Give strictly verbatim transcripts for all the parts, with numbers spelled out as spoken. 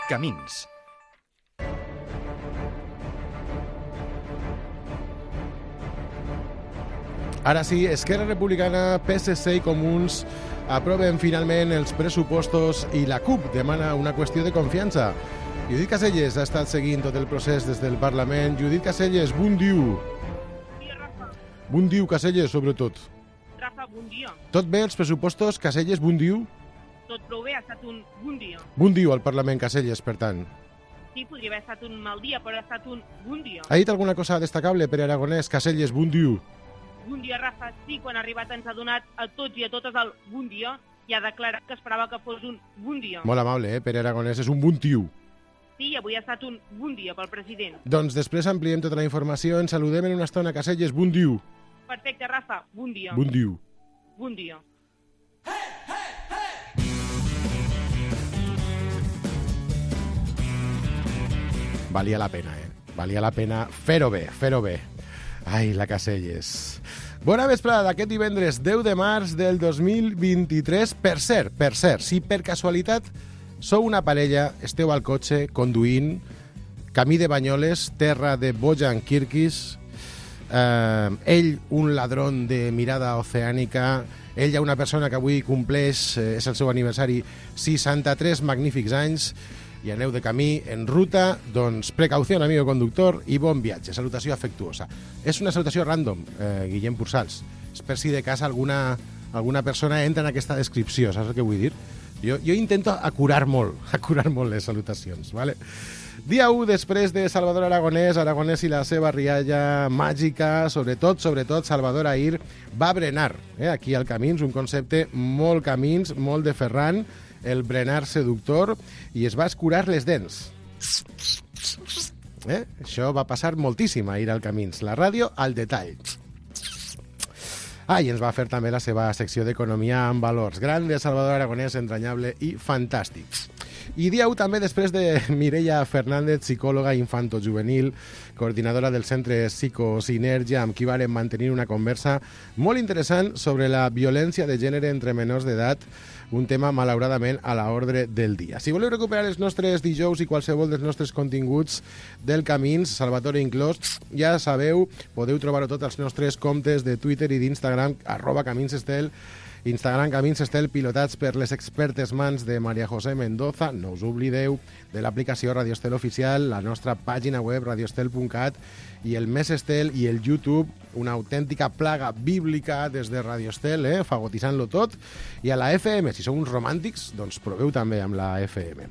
Camins. Ara sí, Esquerra Republicana, P S C i Comuns aproven finalment els pressupostos i la CUP demana una qüestió de confiança. Judit Caselles ha estat seguint tot el procés des del Parlament. Judit Caselles, bon dia. Sí, Rafa. Bon dia, Caselles, sobretot. Rafa, bon dia. Tot bé els pressupostos, Caselles, bon dia? Tot prou bé, ha estat un bon dia. Bon dia al Parlament, Caselles, per tant. Sí, podria haver estat un mal dia, però ha estat un bon dia. Ha dit alguna cosa destacable per Aragonès? Caselles, bon dia. Bon dia, Rafa. Sí, quan ha arribat ens ha donat a tots i a totes el bon dia i ha declarat que esperava que fos un bon dia. Molt amable, eh? Pere Aragonès és un bon tio. Sí, avui ha estat un bon dia pel president. Doncs després ampliem tota la informació. Ens saludem en una estona. Caselles, bon dia. Perfecte, Rafa. Bon dia. Bon dia. Bon dia. Valia la pena, eh? Valia la pena fer-ho bé, fer-ho bé. Ai, la Caselles. Bona vesprada d'aquest divendres deu de març del dos mil vint-i-tres. Per cert, per cert, si per casualitat sou una parella, esteu al cotxe, conduint, camí de Banyoles, terra de Bojan Kirkis, eh, ell, un ladrón de mirada oceànica, ella, una persona que avui compleix, eh, és el seu aniversari, seixanta-tres magnífics anys, i aneu de camí en ruta, doncs precaució, amigo conductor, i bon viatge. Salutació afectuosa. És una salutació random, eh, Guillem Pursals. És per si de cas alguna, alguna persona entra en aquesta descripció, saps el que vull dir? Jo, jo intento acurar molt, acurar molt les salutacions, ¿vale? Dia u, després de Salvador Aragonès, Aragonès i la seva rialla màgica, sobretot, sobretot, Salvador Ahir va brenar, eh, aquí al Camins, un concepte molt Camins, molt de Ferran, el brenar seductor, i es va escurar les dents. Eh? Això va passar moltíssim ahir al Camins. La ràdio al detall. Ah, i ens va fer també la seva secció d'economia amb valors. Gran de Salvador Aragonès, entranyable i fantàstic. I dia u també després de Mireia Fernández, psicòloga infantojuvenil, coordinadora del Centre Psicosinergia, amb qui vàrem mantenir una conversa molt interessant sobre la violència de gènere entre menors d'edat, un tema, malauradament, a l'ordre del dia. Si voleu recuperar els nostres dijous i qualsevol dels nostres continguts del Camins, Salvatore inclòs, ja sabeu, podeu trobar-ho tots als nostres comptes de Twitter i d'Instagram, arroba caminsestel, Instagram Camins Estel, pilotats per les expertes mans de Maria José Mendoza. No us oblideu de l'aplicació Radio Estel Oficial, la nostra pàgina web radioestel punt cat i el Més Estel i el YouTube, una autèntica plaga bíblica des de Radio Estel, eh, fagotitzant-lo tot. I a la F M, si sou uns romàntics, doncs proveu també amb la F M.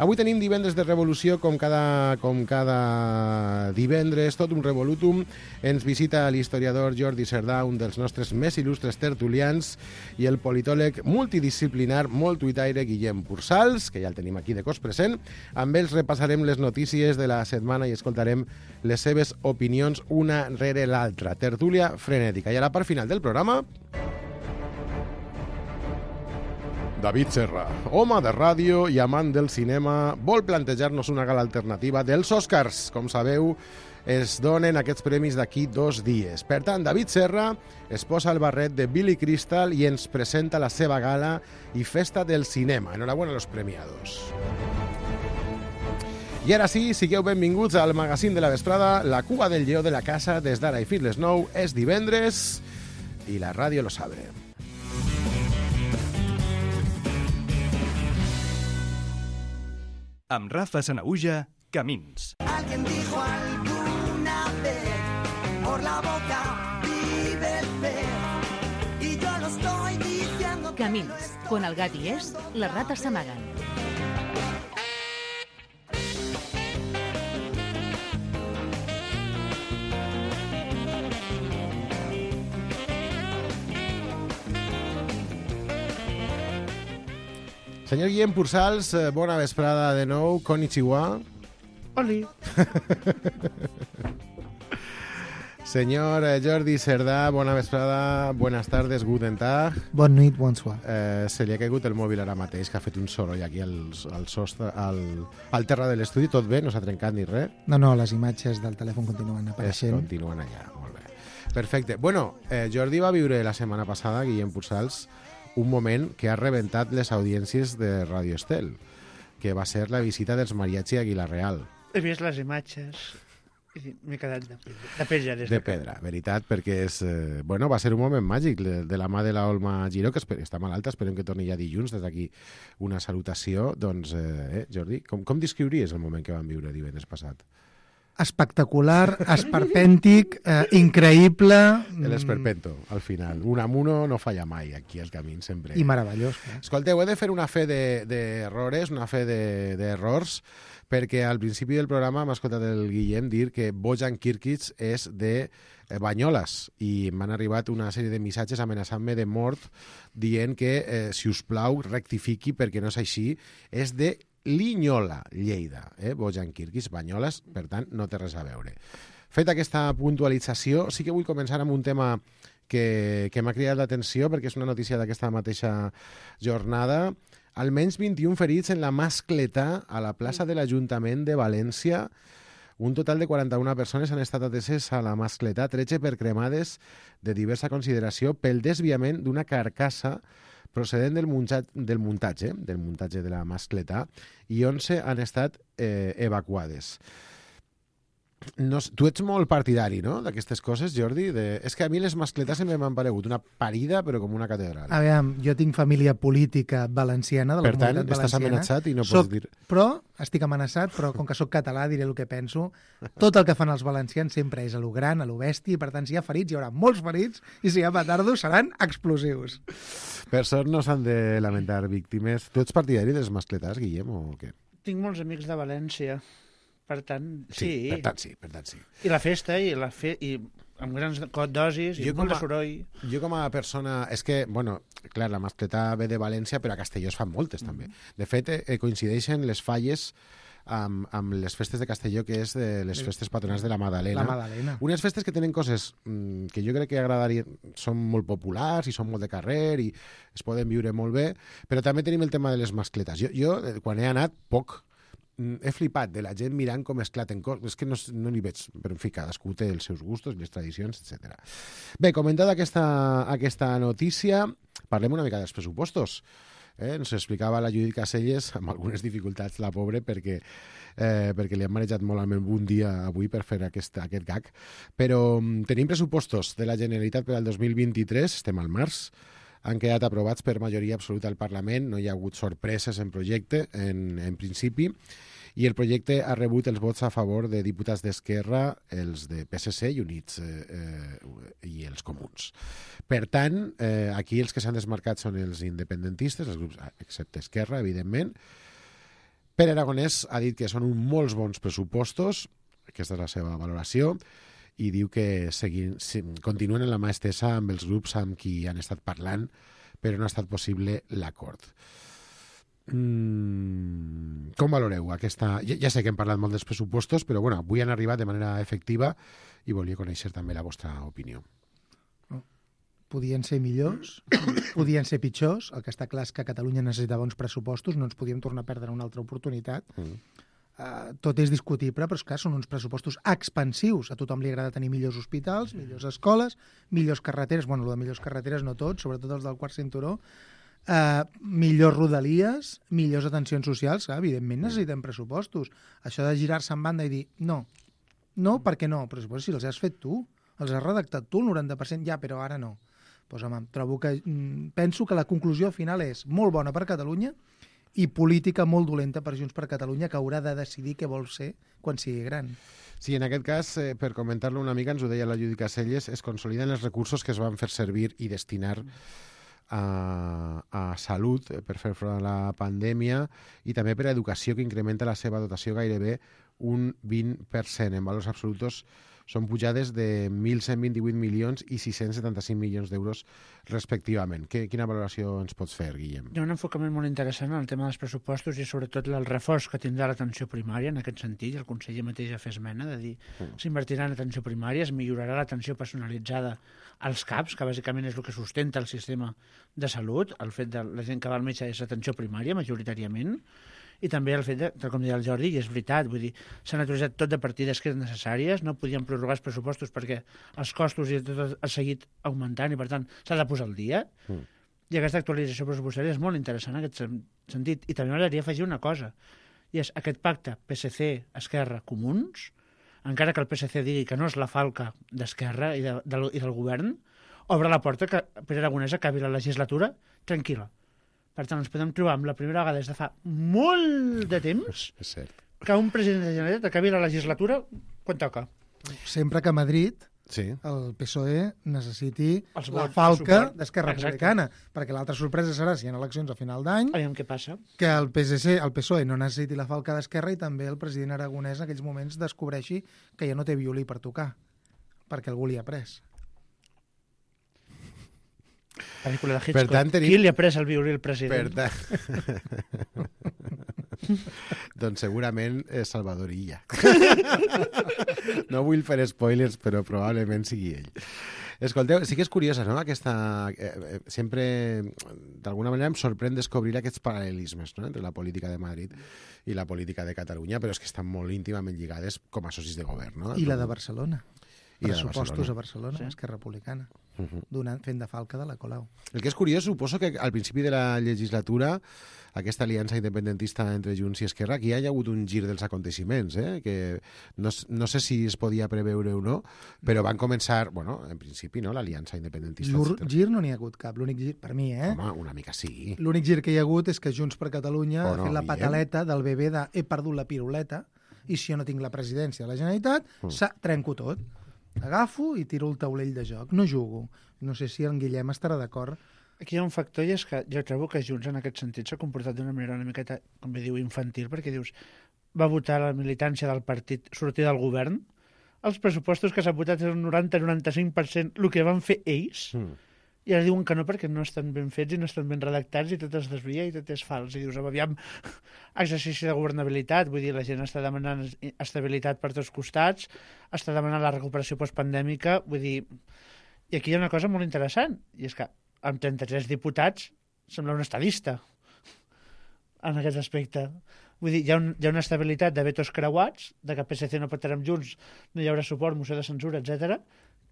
Avui tenim divendres de revolució, com cada, com cada divendres, tot un revolutum. Ens visita l'historiador Jordi Cerdà, un dels nostres més il·lustres tertulians, i el politòleg multidisciplinar, molt tuitaire, Guillem Pursals, que ja el tenim aquí de cos present. Amb ells repassarem les notícies de la setmana i escoltarem les seves opinions una rere l'altra. Tertúlia frenètica. I a la part final del programa, David Serra, home de ràdio i amant del cinema, vol plantejar-nos una gala alternativa dels Oscars. Com sabeu, es donen aquests premis d'aquí dos dies. Per tant, David Serra es posa el barret de Billy Crystal i ens presenta la seva gala i festa del cinema. Enhorabuena a los premiados. I ara sí, sigueu benvinguts al magazín de la vesprada, la cua del lleó de la casa, des d'ara i fins les nou. És divendres i la ràdio lo sabe. Amb Rafa Sanahuja, Camins. Alguien dijo alguna vez, por la boca vive el pez, y yo lo estoy diciendo. Camins, quan el gat hi és, les rates s'amaguen. Senyor Guillem Pursals, bona vesprada de nou. Konnichiwa. Oli. Senyor Jordi Cerdà, bona vesprada, buenas tardes, guten tag. Bon nit, bonsoir. Eh, se li ha caigut el mòbil ara mateix, que ha fet un soroll aquí al, al, sostre, al, al terra de l'estudi. Tot bé? No s'ha trencat ni res? No, no, les imatges del telèfon continuen apareixent. Es continuen allà, molt bé. Perfecte. Bueno, eh, Jordi va viure la setmana passada, Guillem Pursals, un moment que ha rebentat les audiències de Radio Estel, que va ser la visita dels Mariachi a Aguilar Real. He vist les imatges i m'he quedat de pedra. De pedra, de pedra, veritat, perquè és, eh, bueno, va ser un moment màgic de, de la mà de la Olma Giró, que esper, està malalta, esperem que torni ja dilluns, des d'aquí una salutació. Doncs, eh, Jordi, com, com descriuries el moment que vam viure divendres passat? Espectacular, esperpèntic, eh, increïble... L'esperpento, al final. Un amuno no falla mai, aquí al camí, sempre. I meravellós. Eh? Escolteu, he de fer una fe d'errores, de, una fe d'errors, de, perquè al principi del programa m'ha escoltat el Guillem dir que Bojan Kirkic és de Banyoles i m'han arribat una sèrie de missatges amenaçant-me de mort dient que, eh, si us plau, rectifiqui perquè no és així. És de Linyola, Lleida, eh? Bojan Kirkic, Banyoles, per tant, no té res a veure. Feta aquesta puntualització, sí que vull començar amb un tema que, que m'ha cridat l'atenció, perquè és una notícia d'aquesta mateixa jornada. Almenys vint-i-un ferits en la mascletà a la plaça de l'Ajuntament de València. Un total de quaranta-una persones han estat ateses a la mascletà, tretze per cremades de diversa consideració pel desviament d'una carcassa procedent del muntatge, del muntatge, del muntatge de la mascletà, i onze han estat eh, evacuades. No, tu ets molt partidari, no?, d'aquestes coses, Jordi? De... És que a mi les mascletes sempre m'han paregut una parida, però com una catedral. A veure, jo tinc família política valenciana, de la per tant, comunitat estàs valenciana. amenaçat i no soc, pots dir... Però estic amenaçat, però com que sóc català diré el que penso. Tot el que fan els valencians sempre és a lo gran, a lo bèstia, i per tant, si hi ha ferits, hi haurà molts ferits, i si hi ha petardos, seran explosius. Per sort no s'han de lamentar víctimes. Tu ets partidari dels mascletars, Guillem, o què? Tinc molts amics de València. Per tant, sí. Sí, per tant sí, per tant sí. I la festa, i, la fe... i amb grans dosis, i molt de soroll. Jo com a persona... És que, bueno, clar, la mascletà ve de València, però a Castelló es fan moltes, mm. també. De fet, eh, coincideixen les falles amb, amb les festes de Castelló, que és de les festes patronals de la Madalena. La Madalena. Unes festes que tenen coses mm, que jo crec que agradarien... Són molt populars i són molt de carrer i es poden viure molt bé, però també tenim el tema de les mascletes. Jo, jo quan he anat, poc... he flipat de la gent mirant com esclaten coses. És que no, no n'hi veig, però en fi, cadascú té els seus gustos, les tradicions, etcètera. Bé, comentada aquesta, aquesta notícia, parlem una mica dels pressupostos. Eh? Ens explicava la Judit Caselles, amb algunes dificultats, la pobre, perquè, eh, perquè li han manejat molt al meu un dia avui per fer aquest, aquest gag. Però um, tenim pressupostos de la Generalitat per al dos mil vint-i-tres, estem al març, han quedat aprovats per majoria absoluta al Parlament, no hi ha hagut sorpreses en projecte, en, en principi, i el projecte ha rebut els vots a favor de diputats d'Esquerra, els de P S C i Units eh, eh, i els comuns. Per tant, eh, aquí els que s'han desmarcat són els independentistes, els grups, excepte Esquerra, evidentment. Pere Aragonès ha dit que són uns molts bons pressupostos, aquesta és la seva valoració, i diu que seguin, continuen en la mà estesa amb els grups amb qui han estat parlant, però no ha estat possible l'acord. Mm, com valoreu aquesta... Ja, ja sé que hem parlat molt dels pressupostos, però bueno, avui han arribat de manera efectiva i volia conèixer també la vostra opinió. Podien ser millors, podien ser pitjors. El que està clar és que Catalunya necessitava uns pressupostos, no ens podíem tornar a perdre una altra oportunitat. Mm. Uh, tot és discutible, però és clar, són uns pressupostos expansius. A tothom li agrada tenir millors hospitals, millors escoles, millors carreteres, bueno, el de millors carreteres no tots, sobretot els del quart cinturó, uh, millors rodalies, millors atencions socials, clar, evidentment necessitem pressupostos. Això de girar-se en banda i dir, no, no, perquè no, però si els has fet tu, els has redactat tu, el noranta per cent, ja, però ara no. Pues, home, trobo que, mm, penso que la conclusió final és molt bona per Catalunya i política molt dolenta per Junts per Catalunya, que haurà de decidir què vol ser quan sigui gran. Sí, en aquest cas, eh, per comentar-lo una mica, ens ho deia la Judit Caselles, es consoliden els recursos que es van fer servir i destinar a, a salut per fer front a la pandèmia i també per a educació, que incrementa la seva dotació gairebé un vint per cent. En valors absoluts són pujades de mil cent vint-i-vuit milions i sis-cents setanta-cinc milions d'euros respectivament. Que, quina valoració ens pots fer, Guillem? Hi ha un enfocament molt interessant en el tema dels pressupostos i sobretot el reforç que tindrà l'atenció primària en aquest sentit. El conseller mateix ha fet esmena de dir mm. s'invertirà en atenció primària, es millorarà l'atenció personalitzada als CAPs, que bàsicament és el que sustenta el sistema de salut. El fet de la gent que va al metge és atenció primària, majoritàriament. I també el fet, de, tal com deia el Jordi, i és veritat, vull dir, s'han autoritzat tot de partides que eren necessàries, no podien prorrogar els pressupostos perquè els costos i tot ha seguit augmentant i, per tant, s'ha de posar al dia. Mm. I aquesta actualització pressupostària és molt interessant en aquest sentit. I també m'agradaria afegir una cosa, i és aquest pacte P S C, Esquerra, Comuns, encara que el P S C digui que no és la falca d'Esquerra i, de, del, i del govern, obre la porta que Pere Aragonès acabi la legislatura tranquil·la. Per tant, ens podem trobar amb la primera vegada des de fa molt de temps És cert. que un president de la Generalitat acabi la legislatura quan toca. Sempre que a Madrid Sí. el P S O E necessiti Els la vots, falca el suport. d'Esquerra Exacte. Republicana, perquè l'altra sorpresa serà, si hi ha eleccions a final d'any, Aviam què passa. que el P S C, el P S O E no necessiti la falca d'Esquerra i també el president Aragonès en aquells moments descobreixi que ja no té violí per tocar, perquè algú li ha pres. Pel·lícula de Hitchcock. Per tant, tenim- Qui li ha pres el violí al Per president? tant... doncs segurament és Salvador Illa. No vull fer spoilers, però probablement sigui ell. Escolteu, sí que és curiosa, no?, aquesta... Eh, eh, sempre, d'alguna manera, em sorprèn descobrir aquests paral·lelismes, no?, entre la política de Madrid i la política de Catalunya, però és que estan molt íntimament lligades com a socis de govern, no? I la de Barcelona. I la de Pressupostos Barcelona. a Barcelona, Sí. Esquerra Republicana, Uh -huh. donant, fent de falca de la Colau. El que és curiós, suposo que al principi de la legislatura, aquesta aliança independentista entre Junts i Esquerra, aquí hi ha hagut un gir dels aconteixements, eh? Que no, no sé si es podia preveure o no, però van començar, bueno, en principi, no?, l'aliança independentista. Gir, etcètera. gir no n'hi ha hagut cap, l'únic gir, per mi, eh? Home, una mica sí. L'únic gir que hi ha hagut és que Junts per Catalunya Oh, ha no, fet la Guillem. pataleta del bebè de he perdut la piruleta i si jo no tinc la presidència de la Generalitat, Mm. mm. trenco tot. Agafo i tiro el taulell de joc. No jugo. No sé si en Guillem estarà d'acord. Aquí hi ha un factor i és que jo trobo que Junts en aquest sentit s'ha comportat d'una manera una miqueta, com bé diu, infantil, perquè dius, va votar la militància del partit sortir del govern, els pressupostos que s'han votat és un noranta noranta cinc per cent el que van fer ells, Mm. i ara diuen que no perquè no estan ben fets i no estan ben redactats i tot es desvia i tot és fals. I dius, aviam, exercici de governabilitat, vull dir, la gent està demanant estabilitat per tots costats, està demanant la recuperació postpandèmica, vull dir... I aquí hi ha una cosa molt interessant, i és que amb trenta-tres diputats sembla un estadista en aquest aspecte. Vull dir, hi ha, un, hi ha una estabilitat de vetos creuats, de que P S C no pot estar amb Junts, no hi haurà suport, moció de censura, etcètera,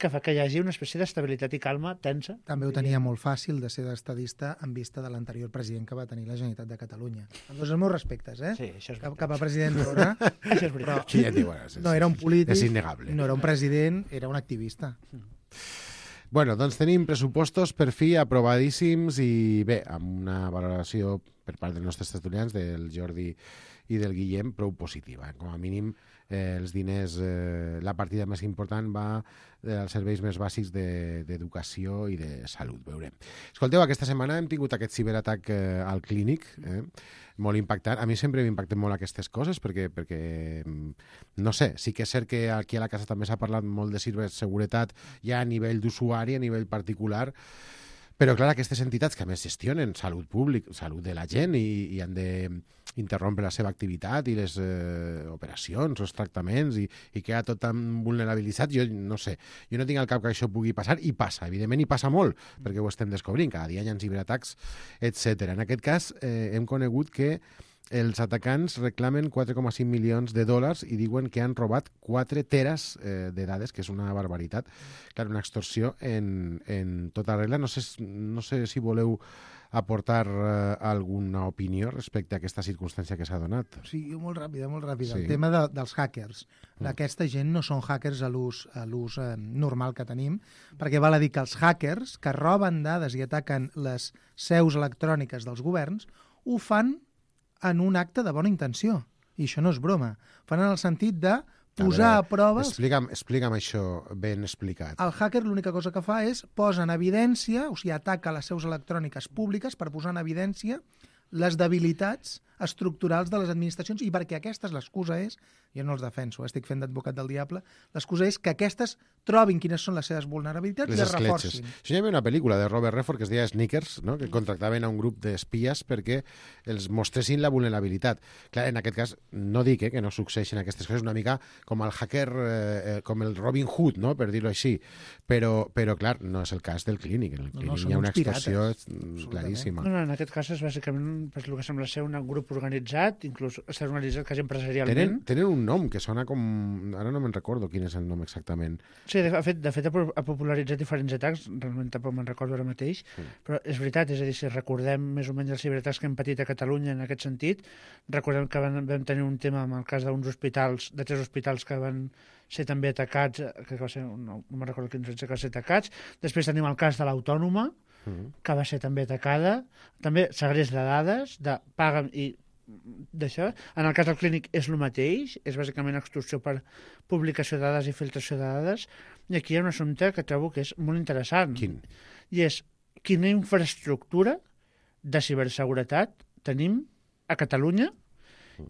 que fa que hi hagi una espècie d'estabilitat i calma tensa. També ho tenia molt fàcil de ser d'estadista en vista de l'anterior president que va tenir la Generalitat de Catalunya. Amb tots els meus respectes, eh? Sí, això és Cap, veritat. cap a president Torra. Això és veritat. Sí, ja diu, bueno, és- No era un polític, És innegable. no era un president, era un activista. Bueno, doncs tenim pressupostos per fi aprovadíssims i bé, amb una valoració per part dels nostres tertulians, del Jordi i del Guillem, prou positiva. Com a mínim, eh, els diners, eh, la partida més important va dels serveis més bàsics de- d'educació i de salut, veurem. Escolteu, aquesta setmana hem tingut aquest ciberatac eh, al clínic, eh, molt impactant. A mi sempre m'impacten molt aquestes coses perquè, perquè, mm, no sé, sí que és cert que aquí a la casa també s'ha parlat molt de ciberseguretat ja a nivell d'usuari, a nivell particular, però, clar, aquestes entitats que a més gestionen salut pública, salut de la gent i, i han d'interrompre la seva activitat i les eh, operacions, els tractaments i, i queda tot tan vulnerabilitzat, jo no sé, jo no tinc al cap que això pugui passar i passa, evidentment, i passa molt, perquè ho estem descobrint, cada dia hi ha ciberatacs, etcètera. En aquest cas, eh, hem conegut que els atacants reclamen quatre coma cinc milions de dòlars i diuen que han robat quatre teres eh, de dades, que és una barbaritat. Clar, una extorsió en, en tota regla. No sé, no sé si voleu aportar eh, alguna opinió respecte a aquesta circumstància que s'ha donat. Sí, jo molt ràpida, molt ràpida. Sí. El tema de, dels hackers. Aquesta gent no són hackers a l'ús a l'ús eh, normal que tenim, perquè val a dir que els hackers que roben dades i ataquen les seus electròniques dels governs ho fan en un acte de bona intenció. I això no és broma. Fan en el sentit de posar a, veure, prova... Explica'm, explica'm això ben explicat. El hacker l'única cosa que fa és posa en evidència, o sigui, ataca les seus electròniques públiques per posar en evidència les debilitats estructurals de les administracions i perquè aquestes, l'excusa és, jo no els defenso, estic fent d'advocat del diable, l'excusa és que aquestes trobin quines són les seves vulnerabilitats Les i les escletxes. reforcin. Això hi havia una pel·lícula de Robert Redford que es deia Sneakers, no? Que contractaven a un grup d'espies perquè els mostressin la vulnerabilitat. Clar, en aquest cas, no dic eh, que no succeeixin aquestes coses, una mica com el hacker, eh, com el Robin Hood, no? Per dir-ho així. Però, però, clar, no és el cas del clínic. En el No, clínic no, són hi ha una uns pirates, extorsió mm, absolutament. claríssima. No, no, en aquest cas és bàsicament pues, el que sembla ser un grup organitzat, inclús està organitzat quasi empresarialment. Tenen, tenen un nom que sona com... Ara no me'n recordo quin és el nom exactament. Sí, de fet, de fet ha popularitzat diferents atacs, realment tampoc me'n recordo ara mateix, mm. però és veritat, és a dir, si recordem més o menys els ciberatacs que hem patit a Catalunya en aquest sentit, recordem que van, vam tenir un tema amb el cas d'uns hospitals, de tres hospitals que van ser també atacats, que va ser, no, no me'n recordo quins que van ser atacats, després tenim el cas de l'Autònoma, mm. que va ser també atacada, també segrest de dades, de paga i d'això. En el cas del clínic és el mateix, és bàsicament extorsió per publicació de dades i filtració de dades, i aquí hi ha un assumpte que trobo que és molt interessant. Quin? I és quina infraestructura de ciberseguretat tenim a Catalunya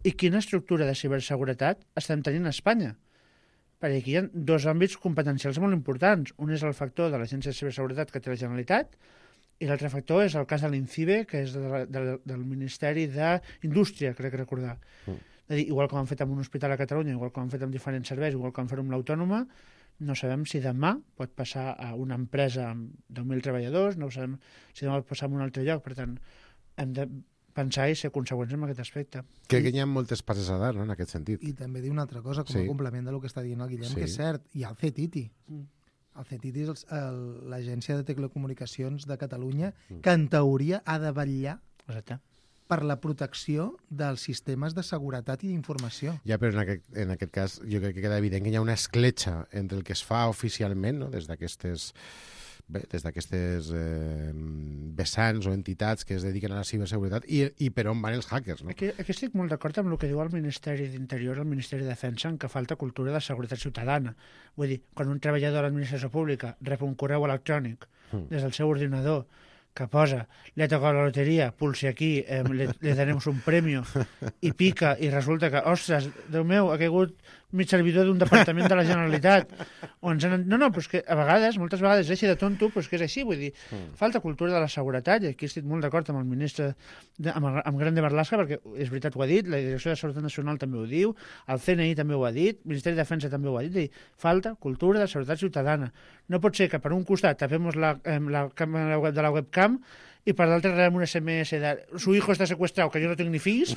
i quina estructura de ciberseguretat estem tenint a Espanya. Perquè aquí hi ha dos àmbits competencials molt importants. Un és el factor de l'Agència de Ciberseguretat que té la Generalitat i l'altre factor és el cas de l'INCIBE, que és de la, de, del Ministeri d'Indústria, crec que recordar. Mm. És a dir, igual que ho han fet amb un hospital a Catalunya, igual que ho han fet amb diferents serveis, igual que ho han fet amb l'Autònoma, no sabem si demà pot passar a una empresa amb deu mil treballadors, no sabem si demà pot passar a un altre lloc, per tant, hem de pensar i ser conseqüents en aquest aspecte. Crec que hi ha moltes passes a dar, no?, en aquest sentit. I també dir una altra cosa, com sí. a complement del que està dient el Guillem, sí. que és cert, hi ha el C E T I T I. Mm. El C E T I T I és l'Agència de Telecomunicacions de Catalunya, mm. que en teoria ha de vetllar Exacte. per la protecció dels sistemes de seguretat i d'informació. Ja, però en aquest, en aquest cas jo crec que queda evident que hi ha una escletxa entre el que es fa oficialment, no?, des d'aquestes bé, des d'aquestes eh, vessants o entitats que es dediquen a la ciberseguretat i, i per on van els hackers, no? Aquí, aquí estic molt d'acord amb el que diu el Ministeri d'Interior, el Ministeri de Defensa, en que falta cultura de seguretat ciutadana. Vull dir, quan un treballador de l'administració pública rep un correu electrònic mm. des del seu ordinador que posa, le ha tocado la loteria, pulsi aquí, eh, le, le daremos un premio, i pica, i resulta que, ostres, Déu meu, ha caigut mig servidor d'un departament de la Generalitat. O ens han... No, no, però és que a vegades, moltes vegades, és així de tonto, però és que és així, vull dir, mm. falta cultura de la seguretat, i aquí estic molt d'acord amb el ministre, de, amb, el, amb Grande Marlaska, perquè és veritat, ho ha dit, la Direcció de Seguretat Nacional també ho diu, el C N I també ho ha dit, el Ministeri de Defensa també ho ha dit, dir, falta cultura de seguretat ciutadana. No pot ser que per un costat tapemos la, eh, la càmera web de la webcam i per l'altre rebem un S M S de su hijo està secuestrado, que jo no tinc ni fills,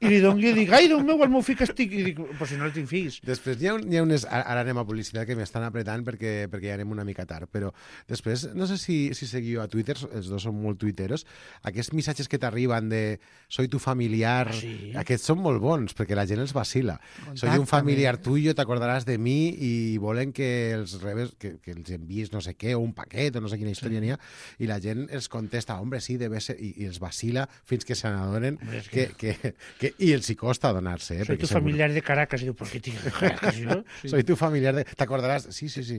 i li doni i dic, ai, Déu meu, el meu fill que estic, i dic, però si no el tinc fills. Després hi ha, hi ha unes... Ara anem a publicitat que m'estan apretant perquè, perquè ja anem una mica tard, però després, no sé si, si seguiu a Twitter, els dos són molt tuiteros, aquests missatges que t'arriben de soy tu familiar, ah, sí? Aquests són molt bons, perquè la gent els vacila. Contacte, soy un familiar tuyo, t'acordaràs de mi, i volen que els rebes, que, que els envies no sé què, o un paquet, o no sé quina història sí. n'hi ha, i la gent els contesta, hombre, sí, debe ser, i, i els vacila fins que se n'adonen que, que, que, que... I els hi costa adonar-se. Eh, soy tu segur... familiar de Caracas. I diu, ¿por qué tío de Caracas? ¿No? Sí. Soy tu familiar de... T'acordaràs? Sí, sí, sí.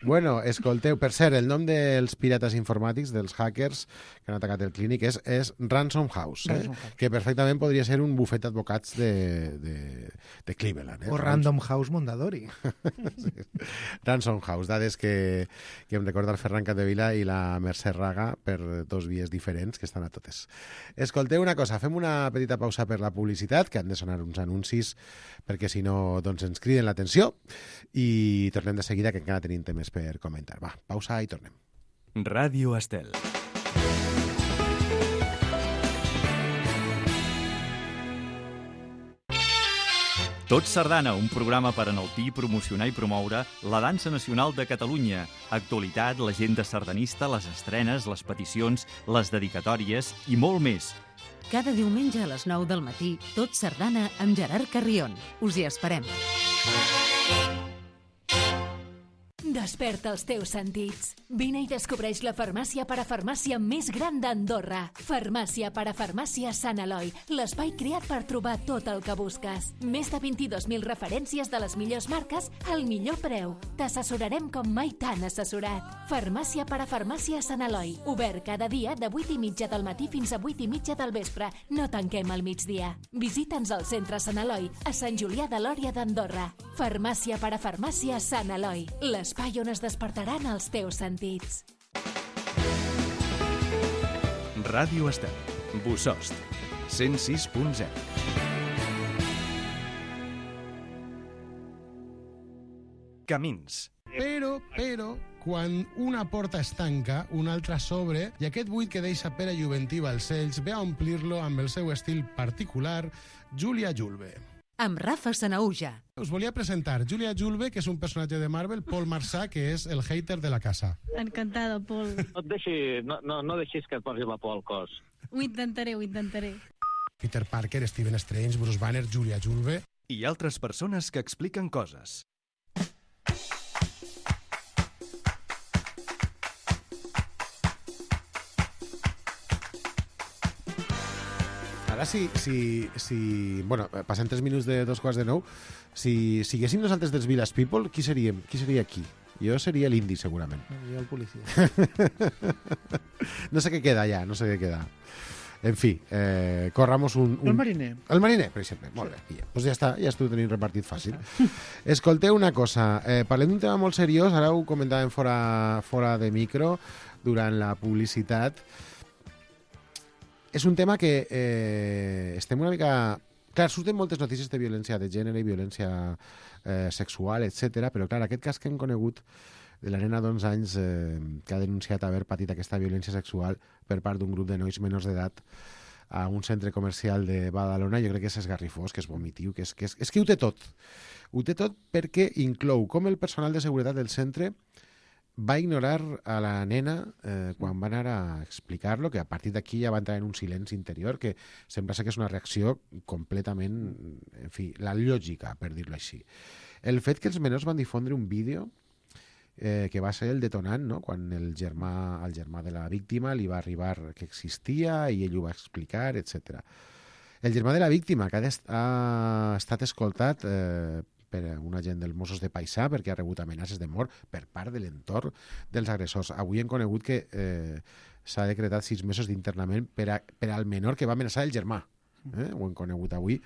Bueno, escolteu, per cert, el nom dels pirates informàtics, dels hackers que han atacat el clínic, és, és Ransom House, eh? Ransom House, que perfectament podria ser un bufet d'advocats de, de, de Cleveland. Eh? O Random House Mondadori. Sí. Ransom House, dades que, que em recorda el Ferran Capdevila i la Mercè Raga per dos vies diferents que estan a totes. Escolteu una cosa, fem una petita pausa per la publicitat, que han de sonar uns anuncis perquè si no doncs ens criden l'atenció, i tornem de seguida, que encara tenim temes per comentar. Va, pausa i tornem. Ràdio Estel. Tot Sardana, un programa per enaltir, promocionar i promoure la dansa nacional de Catalunya. Actualitat, l'agenda sardanista, les estrenes, les peticions, les dedicatòries i molt més. Cada diumenge a les nou del matí, Tot Sardana amb Gerard Carrion. Us hi esperem. Desperta els teus sentits. Vine i descobreix la farmàcia parafarmàcia més gran d'Andorra. Farmàcia parafarmàcia Sant Eloi, l'espai creat per trobar tot el que busques. Més de vint-i-dos mil referències de les millors marques al millor preu. T'assessorarem com mai t'han assessorat. Farmàcia parafarmàcia Sant Eloi, obert cada dia de vuit i mitja del matí fins a vuit i mitja del vespre. No tanquem al migdia. Visita'ns al centre Sant Eloi, a Sant Julià de Lòria d'Andorra. Farmàcia parafarmàcia Sant Eloi, l'espai on es despertaran els teus sentits. Ràdio Estel, Bossòst, cent sis punt zero. Camins. Però, però, quan una porta es tanca, una altra s'obre, i aquest buit que deixa Pere Juventí Balcells ve a omplir-lo amb el seu estil particular, Júlia Julve. Amb Rafa Sanauja. Us volia presentar Júlia Julve, que és un personatge de Marvel, Paul Marsà, que és el hater de la casa. Encantada, Paul. No et deixi, no, no, no deixis que et posi la por al cos. Ho intentaré, ho intentaré. Peter Parker, Stephen Strange, Bruce Banner, Júlia Julve... I altres persones que expliquen coses. Ara, si, si, si... Bueno, passen tres minuts de dos quarts de nou. Si siguéssim nosaltres dels Village People, qui seríem? Qui seria aquí? Jo seria l'indi, segurament. Jo el policia. No sé què queda ja, no sé què queda. En fi, eh, corramos un, un... El mariner. El mariner, per exemple. Molt bé. Ja. Pues ja està, ja estic tenint repartit fàcil. Escolteu una cosa. Eh, parlem d'un tema molt seriós. Ara ho comentàvem fora, fora de micro, durant la publicitat. És un tema que eh, estem una mica... Clar, surten moltes notícies de violència de gènere i violència eh, sexual, etcètera, però clar, aquest cas que hem conegut de la nena d'onze anys eh, que ha denunciat haver patit aquesta violència sexual per part d'un grup de nois menors d'edat a un centre comercial de Badalona, jo crec que és esgarrifós, que és vomitiu, que és, que és, és que ho té tot. Ho té tot perquè inclou com el personal de seguretat del centre va ignorar a la nena eh, quan va anar a explicar-lo, que a partir d'aquí ja va entrar en un silenci interior, que sembla ser que és una reacció completament, en fi, la lògica, per dir-lo així. El fet que els menors van difondre un vídeo eh, que va ser el detonant, no? Quan el germà, el germà de la víctima li va arribar que existia i ell ho va explicar, etcètera. El germà de la víctima, que ha, ha estat escoltat eh, per un agent dels Mossos de Paisà perquè ha rebut amenaces de mort per part de l'entorn dels agressors. Avui hem conegut que eh, s'ha decretat sis mesos d'internament per, a, per al menor que va amenaçar el germà. Eh? Ho hem conegut avui.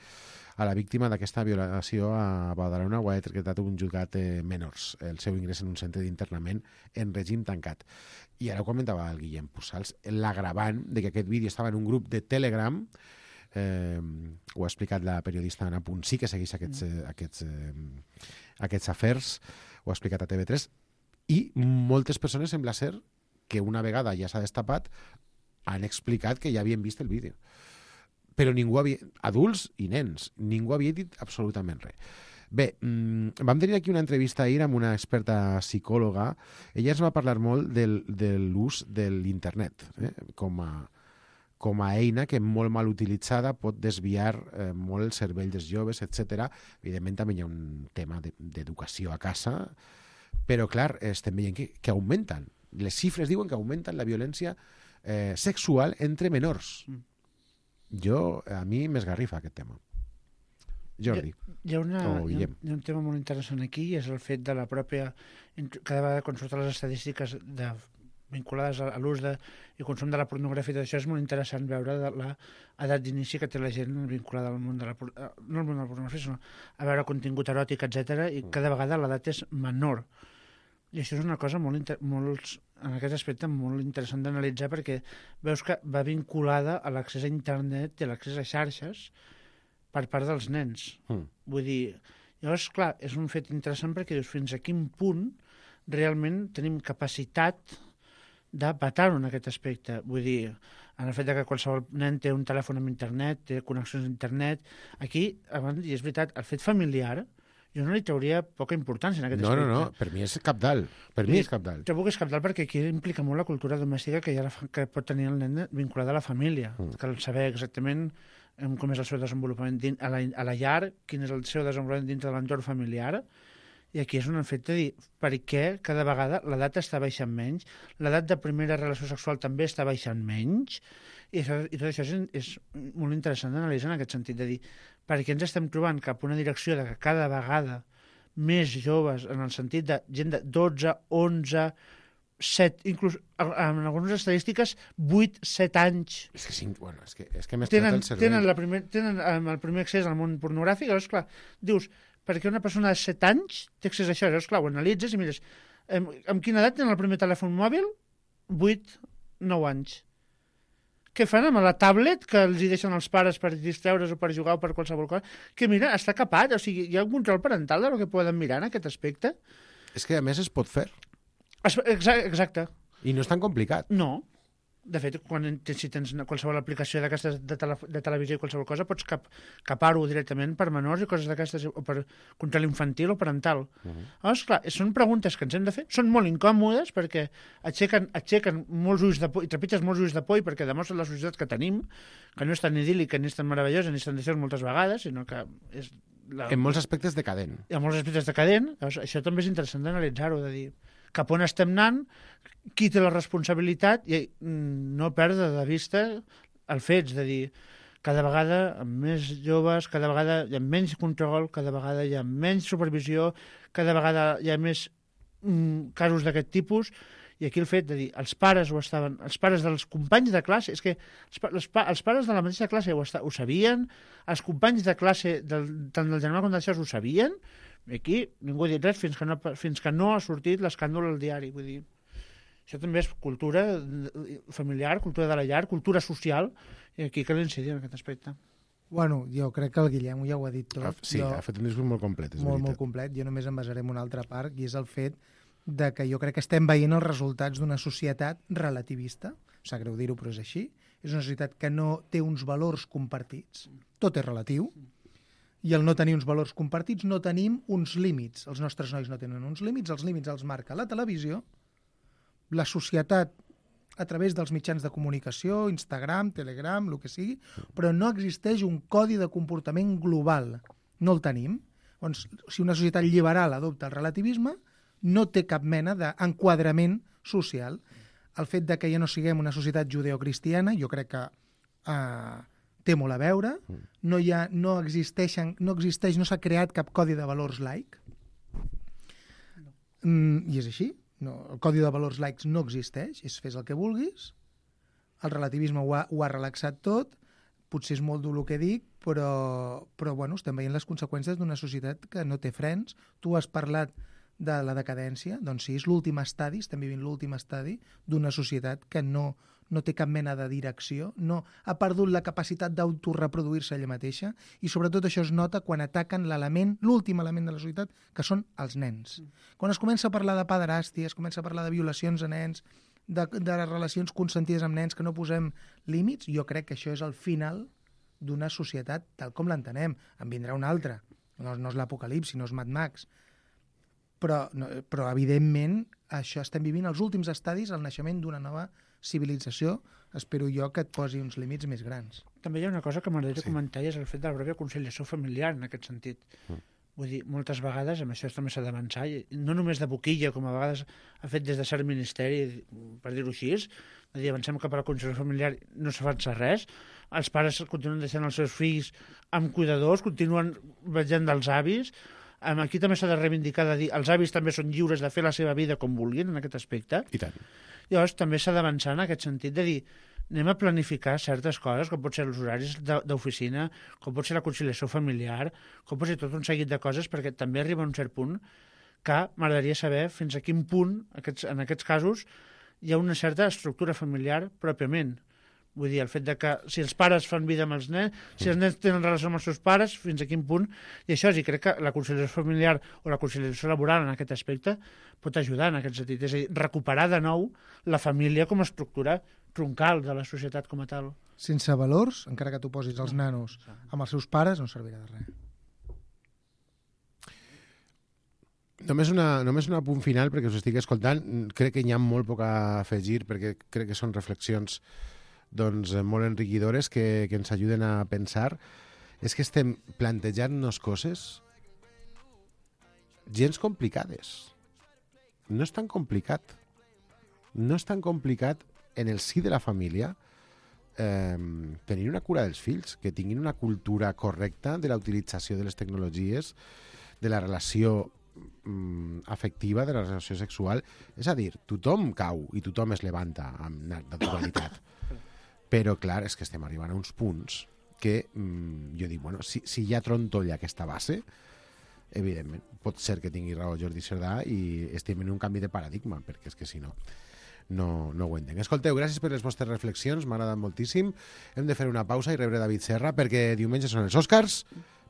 A la víctima d'aquesta violació a Badalona ho ha decretat un jutjat de menors, el seu ingrés en un centre d'internament en règim tancat. I ara ho comentava el Guillem Pussals, l'agravant de que aquest vídeo estava en un grup de Telegram. Eh, ho ha explicat la periodista Anna Punsí, que segueix aquests, eh, aquests, eh, aquests afers, ho ha explicat a T V tres, i moltes persones sembla ser que una vegada ja s'ha destapat han explicat que ja havien vist el vídeo, però ningú havia, adults i nens, ningú havia dit absolutament res. Bé, mmm, vam tenir aquí una entrevista ahir amb una experta psicòloga. Ella ens va parlar molt del, de l'ús de l'internet eh, com a com a eina que molt mal utilitzada pot desviar eh, molt el cervell dels joves, etcètera. Evidentment també hi ha un tema d'educació a casa, però clar, estem veient que, que augmenten. Les xifres diuen que augmenten la violència eh, sexual entre menors. Jo, a mi m'esgarrifa aquest tema. Jordi. Hi, hi, ha una, hi, ha, hi ha un tema molt interessant aquí, i és el fet de la pròpia... Cada vegada quan surten les estadístiques de vinculades a l'ús i consum de la pornografia, i això és molt interessant veure l'edat d'inici que té la gent vinculada al món de la, no al món de la pornografia, sinó a veure contingut eròtic, etcètera, i cada vegada l'edat és menor. I això és una cosa molt, molt en aquest aspecte molt interessant d'analitzar, perquè veus que va vinculada a l'accés a internet i a l'accés a xarxes per part dels nens. Mm. Vull dir, llavors, clar, és un fet interessant perquè dius fins a quin punt realment tenim capacitat de patar-ho en aquest aspecte. Vull dir, en el fet que qualsevol nen té un telèfon amb internet, té connexions a internet, aquí, abans, i és veritat, el fet familiar, jo no li trauria poca importància en aquest no, aspecte. No, no, per mi és cabdal. Per mi és cabdal. Trobo que és cabdal perquè aquí implica molt la cultura domèstica que, ja la, que pot tenir el nen vinculada a la família. Mm. Cal saber exactament com és el seu desenvolupament dins, a, la, a la llar, quin és el seu desenvolupament dintre de l'entorn familiar. I aquí és un efecte de dir per què cada vegada l'edat està baixant menys, l'edat de primera relació sexual també està baixant menys, i, això, i tot això és, és molt interessant d'analitzar en aquest sentit, de dir per què ens estem trobant cap a una direcció de que cada vegada més joves, en el sentit de gent de dotze, onze, set, inclús en algunes estadístiques vuit, set anys. És que, cinc, bueno, és que, és que m'he tenen, el cervell. Tenen, la primer, tenen el primer accés al món pornogràfic, llavors, clar, dius, perquè una persona de set anys té accés a això, llavors, clar, ho analitzes i mires, amb, amb quina edat tenen el primer telèfon mòbil? vuit, nou anys. Què fan amb la tablet que els hi deixen els pares per distreure's o per jugar o per qualsevol cosa? Que mira, està capat, o sigui, hi ha un control parental del que poden mirar en aquest aspecte. És que a més es pot fer. Exacte. I no és tan complicat. No. De fet, quan, si tens qualsevol aplicació d'aquestes de, tele, de televisió i qualsevol cosa, pots cap, capar-ho directament per menors i coses d'aquestes, o per control infantil o parental. Uh -huh. Llavors, clar, són preguntes que ens hem de fer, són molt incòmodes perquè aixequen, aixequen molts ulls de por, i trepitges molts ulls de por, perquè demostren la societat que tenim, que no és tan idíl·lica, ni és tan meravellosa, ni és tan deseós moltes vegades, sinó que és... La... En molts aspectes decadent. En molts aspectes decadent. Llavors, això també és interessant d'analitzar-ho, de dir cap on estem anant, qui té la responsabilitat i no perdre de vista el fets, de dir cada vegada amb més joves, cada vegada hi ha menys control, cada vegada hi ha menys supervisió, cada vegada hi ha més mm, casos d'aquest tipus, i aquí el fet de dir, els pares ho estaven, els pares dels companys de classe, és que els, els, els pares de la mateixa classe ho, esta, ho sabien, els companys de classe, del, tant del germà com del xas ho sabien, i aquí ningú ha dit res fins que no, fins que no ha sortit l'escàndol al diari. Vull dir, això també és cultura familiar, cultura de la llar, cultura social, i aquí cal incidir en aquest aspecte. Bueno, jo crec que el Guillem ja ho ha dit tot. Sí, jo, ha fet un discurs molt complet, és molt, veritat. Molt complet. Jo només em basaré en una altra part, i és el fet de que jo crec que estem veient els resultats d'una societat relativista. Sap greu dir-ho, però és així. És una societat que no té uns valors compartits. Tot és relatiu. I el no tenir uns valors compartits, no tenim uns límits. Els nostres nois no tenen uns límits, els límits els marca la televisió, la societat a través dels mitjans de comunicació, Instagram, Telegram, el que sigui, però no existeix un codi de comportament global. No el tenim. Doncs, si una societat liberal adopta el relativisme, no té cap mena d'enquadrament social. El fet de que ja no siguem una societat judeocristiana, jo crec que eh, té molt a veure. No, hi ha, no, existeixen, no existeix, no s'ha creat cap codi de valors laic. Mm, I és així. No, el codi de valors laics no existeix, és fes el que vulguis. El relativisme ho ha, ho ha relaxat tot. Potser és molt dur el que dic, però, però bueno, estem veient les conseqüències d'una societat que no té frens. Tu has parlat de la decadència, doncs sí, és l'últim estadi, estem vivint l'últim estadi d'una societat que no, no té cap mena de direcció, no, ha perdut la capacitat d'autoreproduir-se ella mateixa, i sobretot això es nota quan ataquen l'element, l'últim element de la societat, que són els nens. Mm. Quan es comença a parlar de pederàstia, es comença a parlar de violacions a nens, de, de les relacions consentides amb nens, que no posem límits, jo crec que això és el final d'una societat tal com l'entenem. En vindrà una altra, no, no és l'apocalipsi, no és Mad Max, però, no, però evidentment això estem vivint els últims estadis, el naixement d'una nova civilització. Espero jo que et posi uns límits més grans. També hi ha una cosa que m'agradaria sí. comentar, i és el fet de la pròpia conciliació familiar en aquest sentit. Mm. Vull dir, moltes vegades, amb això també s'ha d'avançar, no només de boquilla, com a vegades ha fet des de cert ministeri, per dir-ho així, de dir, avancem cap a la conciliació familiar, no s'avança res, els pares continuen deixant els seus fills amb cuidadors, continuen vetllant dels avis. Aquí també s'ha de reivindicar de dir els avis també són lliures de fer la seva vida com vulguin en aquest aspecte. I tant. Llavors també s'ha d'avançar en aquest sentit de dir anem a planificar certes coses, com pot ser els horaris d'oficina, com pot ser la conciliació familiar, com pot ser tot un seguit de coses, perquè també arriba a un cert punt que m'agradaria saber fins a quin punt, aquests, en aquests casos, hi ha una certa estructura familiar pròpiament. Vull dir, el fet de que si els pares fan vida amb els nens, si els nens tenen relació amb els seus pares, fins a quin punt, i això sí, crec que la conciliació familiar o la conciliació laboral en aquest aspecte pot ajudar en aquest sentit, és a dir, recuperar de nou la família com a estructura troncal de la societat com a tal. Sense valors, encara que tu posis els nanos amb els seus pares, no servirà de res. Només una, només un punt final, perquè us estic escoltant, crec que hi ha molt poc a afegir, perquè crec que són reflexions doncs, molt enriquidores que, que ens ajuden a pensar. És que estem plantejant-nos coses gens complicades. No és tan complicat. No és tan complicat en el si de la família eh, tenir una cura dels fills, que tinguin una cultura correcta de la utilització de les tecnologies, de la relació mm, afectiva, de la relació sexual. És a dir, tothom cau i tothom es levanta amb naturalitat. Però, clar, és que estem arribant a uns punts que mmm, jo dic, bueno, si, si hi ha trontolla aquesta base, evidentment, pot ser que tingui raó Jordi Cerdà i estem en un canvi de paradigma, perquè és que si no, no, no ho entenc. Escolteu, gràcies per les vostres reflexions, m'ha agradat moltíssim. Hem de fer una pausa i rebre David Serra, perquè diumenge són els Oscars,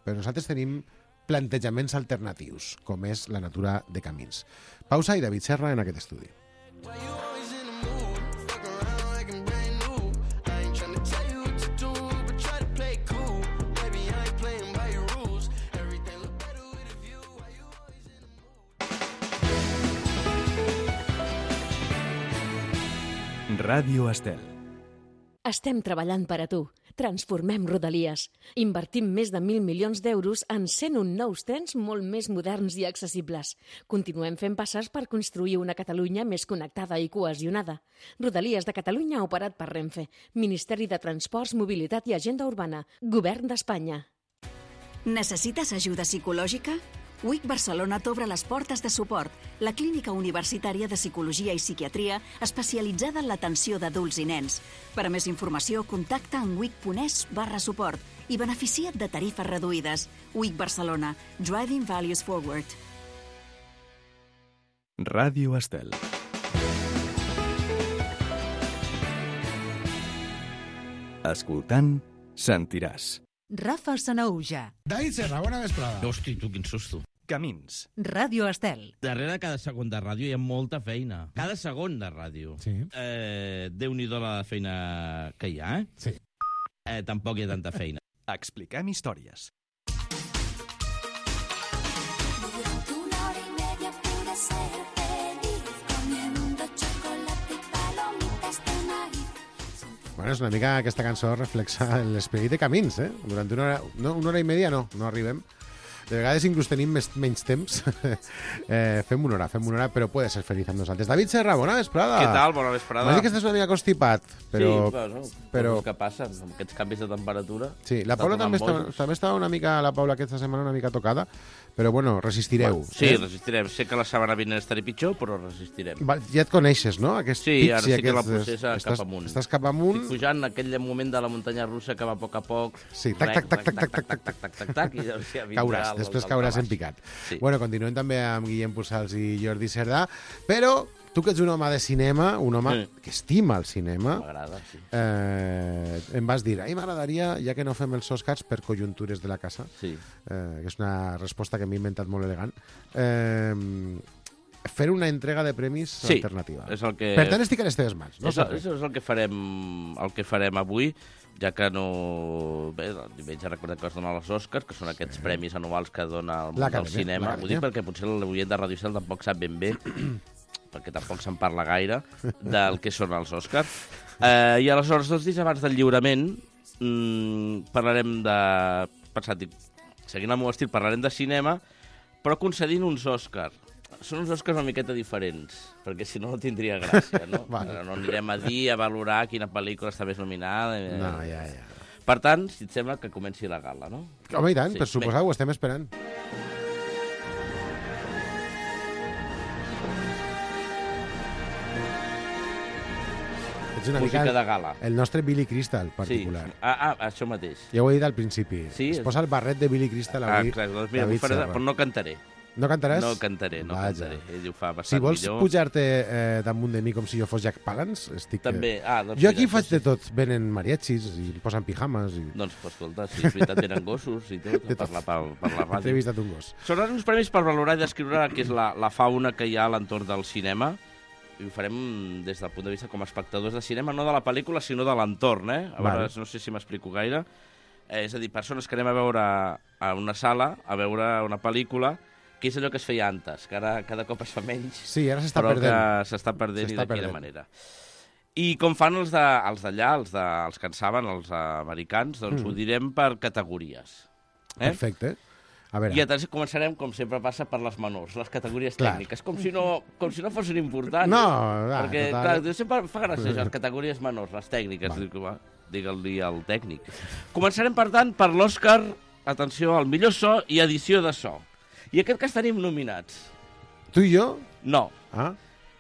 però nosaltres tenim plantejaments alternatius, com és la natura de camins. Pausa i David Serra en aquest estudi. Ràdio Estel. Estem treballant per a tu. Transformem Rodalies. Invertim més de mil milions d'euros en cent un nous trens molt més moderns i accessibles. Continuem fent passes per construir una Catalunya més connectada i cohesionada. Rodalies de Catalunya operat per Renfe. Ministeri de Transports, Mobilitat i Agenda Urbana. Govern d'Espanya. Necessites ajuda psicològica? U I C Barcelona t'obre les portes de suport, la clínica universitària de psicologia i psiquiatria especialitzada en l'atenció d'adults i nens. Per a més informació, contacta en wic.es barra suport i beneficia't de tarifes reduïdes. U I C Barcelona. Driving Values Forward. Ràdio Estel. Escoltant, sentiràs. Rafa Sanauja. David Serra, bona vesprada. Hosti, tu, quin susto. Camins. Ràdio Estel. Darrere cada segon de ràdio hi ha molta feina. Cada segon de ràdio. Sí. Eh, Déu-n'hi-do la feina que hi ha, eh? Sí. Eh, tampoc hi ha tanta feina. Expliquem històries. Bueno, és una mica aquesta cançó reflexa l'esperit de Camins, eh? Durant una hora, no, una hora i media no, no arribem. De vegades inclús tenim més, menys temps. eh, fem una hora, fem una hora, però puede ser feliç amb nosaltres. David Serra, bona vesprada. Què tal? Bona vesprada. M'has dit que estàs una mica constipat, però... Sí, bueno, però... coses que passen, amb aquests canvis de temperatura. Sí, la Paula també està, també estava una mica, la Paula aquesta setmana una mica tocada, però bueno, resistireu. Bueno, sí, eh? resistirem. Sé que la setmana vinent estaré pitjor, però resistirem. Va, ja et coneixes, no? Aquests sí, pics ara sí aquests... que la processa estàs, cap amunt. Estàs cap amunt. Estic pujant aquell moment de la muntanya russa que va a poc a poc. Sí, tac, tac, tac, tac, tac, tac, tac, tac, tac, tac, tac, i llavors ja vindrà... Cauràs, després cauràs en picat. Sí. Bueno, continuem també amb Guillem Pussals i Jordi Cerdà, però tu que ets un home de cinema, un home sí. que estima el cinema, m'agrada, sí. eh, em vas dir, ai, m'agradaria, ja que no fem els Oscars per conjuntures de la casa, sí. eh, que és una resposta que m'he inventat molt elegant, eh, fer una entrega de premis sí, alternativa. És el que... Per tant, estic a les teves mans. No és, el, és el que farem, el que farem avui, ja que no... Bé, el diumenge recordem que es donen els Oscars, que són aquests sí. premis anuals que dona el món del cinema. Ho dic perquè potser l'oient de Ràdio Estel tampoc sap ben bé, perquè tampoc se'n parla gaire, del que són els Oscars. Eh, I aleshores, dos dies abans del lliurament, mmm, parlarem de... Pensat, dic, seguint el meu estil, parlarem de cinema, però concedint uns Oscars. Són uns Oscars una miqueta diferents, perquè si no no tindria gràcia, no? vale. No anirem a dir, a valorar quina pel·lícula està més nominada. No, ja, ja. Per tant, si et sembla, que comenci la gala, no? Home, i tant, sí, per suposar, ho estem esperant. Ets una música mica de gala. El nostre Billy Crystal particular. Sí. Ah, ah, això mateix. Ja ho he dit al principi. Sí? Es posa el barret de Billy Crystal avui. Ah, clar, doncs mira, faré, però no cantaré. No cantaràs? No cantaré, no Vaja. cantaré. Ell ho fa bastant si vols millor. pujar-te eh, damunt de mi com si jo fos Jack Palance, estic... També. Ah, doncs jo aquí mira, faig de tot. Venen mariachis i posen pijamas. I... Doncs, escolta, si és veritat, venen gossos i tot, a parlar per, per la ràdio. T'he vistat un gos. Són uns premis per valorar i descriure el que és la, la fauna que hi ha a l'entorn del cinema, i ho farem des del punt de vista com a espectadors de cinema, no de la pel·lícula, sinó de l'entorn, eh? A vale. Veure, no sé si m'explico gaire. Eh, és a dir, persones que anem a veure a una sala, a veure una pel·lícula, que és allò que es feia antes, que ara cada cop es fa menys, sí, ara s'està però perdent. que s'està perdent i de quina manera. I com fan els d'allà, els, els, de, els que en saben, els americans, doncs mm. ho direm per categories. Eh? Perfecte. A veure. I atenció, començarem, com sempre passa, per les menors, les categories clar. tècniques, com si, no, com si no fossin importants. No, va, perquè, total. clar, sempre fa gràcia, les categories menors, les tècniques, va. Digue-li al tècnic. Començarem, per tant, per l'Òscar, atenció, al millor so i edició de so. I aquest cas tenim nominats. Tu i jo? No. Ah,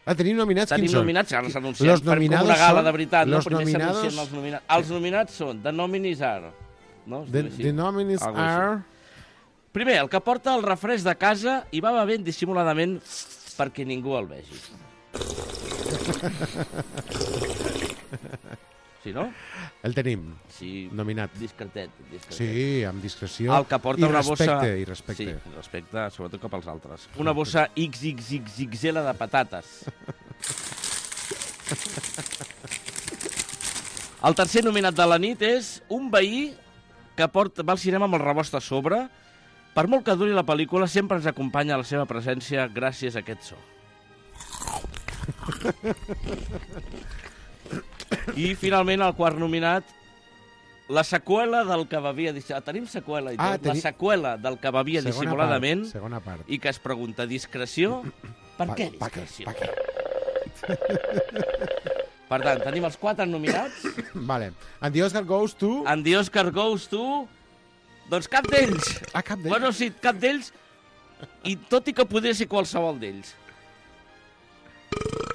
ah tenim nominats? Tenim quins nominats, són? ara s'anuncien per com una gala de veritat. No? Primer nominados... s'anuncien els nominats. Els nominats són The Nominees are... No? The, the Nominees are... Primer, el que porta el refresc de casa i va bevent dissimuladament perquè ningú el vegi. Sí, no? El tenim, sí, nominat. Discretet, discretet. Sí, amb discreció el que porta i una respecte. Bossa... I respecte. Sí, respecte, sobretot cap als altres. Una bossa ics ics ics ics ele de patates. El tercer nominat de la nit és un veí que porta, va al cinema amb el rebost a sobre. Per molt que duri la pel·lícula, sempre ens acompanya la seva presència gràcies a aquest so. I, finalment, el quart nominat, la seqüela del que bevia... Tenim seqüela i tot. Ah, teni... La seqüela del que bevia segona dissimuladament part, segona part. I que es pregunta, discreció? Per pa, què pa, discreció? Pa, pa, per tant, tenim els quatre nominats. Vale. And the Oscar goes to... And the Oscar goes to... Doncs cap d'ells. Ah, cap d'ells? Bueno, sí, cap d'ells. I tot i que podria ser qualsevol d'ells.